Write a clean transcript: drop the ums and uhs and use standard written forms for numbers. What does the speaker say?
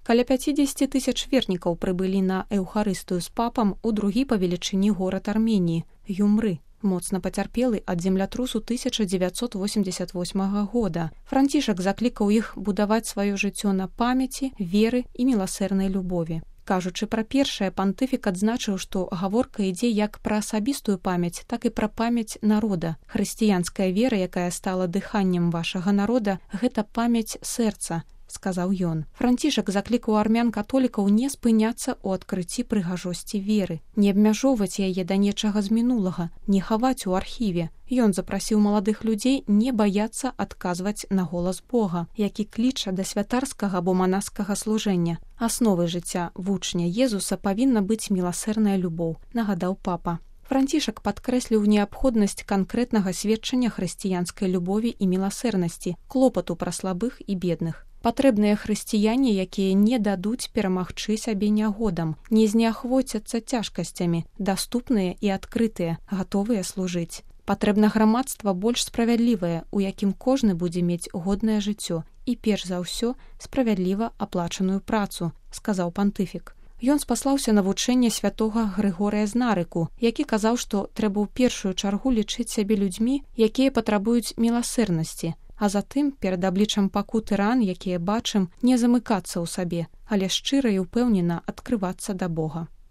Каля 50 тысяч вернікаў прыбылі на эўхарыстыю з папам у другі па велічыні горад Арменіі – Юмры, моцна пацярпелы ад землятрусу 1988 года. Францішак заклікаў іх будаваць сваё жыццё на памяці, веры і міласэрнай любові. Кажучы пра першае, пантыфік адзначыў, што гаворка ідзе як пра асабістую памяць, так і пра памяць народа. Хрысціянская вера, якая стала дыханнем вашага народа, гэта памяць сэрца, сказаў ён. Францішак заклікаў армян-католікаў не спыняцца ў адкрыцці прыгажосці веры, не абмяжоўваць яе да нечага з мінулага, не хаваць у архіве. Ён запрасіў маладых людзей не баяцца адказваць на голас Бога, які кліча да святарскага або манаскага служэння. Асновай жыцця вучня Езуса павінна быць міласэрная любоў, нагадаў папа. Францішак падкрэсліў неабходнасць канкрэтнага сведчання хрысціянскай любові і міласэрнасці, клопату пра слабых і бедных. Патрэбныя хрысціяне, якія не дадуць перамагчы сябе нягодам, не зняхвоцяцца цяжкасцямі, даступныя і адкрытыя, гатовыя служыць. Патрэбна грамадства больш справядлівае, у якім кожны будзе мець годнае жыццё і, перш за ўсё, справядліва аплачаную працу, сказаў пантыфік. Ён спаслаўся на вучэнне святога Грыгорыя з Нарыку, які казаў, што трэба ў першую чаргу лічыць сябе людзьмі, якія патрабуюць міласэрнасці, а затым, перад абліччам пакуты ран, якія бачым, не замыкацца ў сабе, але шчыра і ўпэўнена адкрывацца да Бога.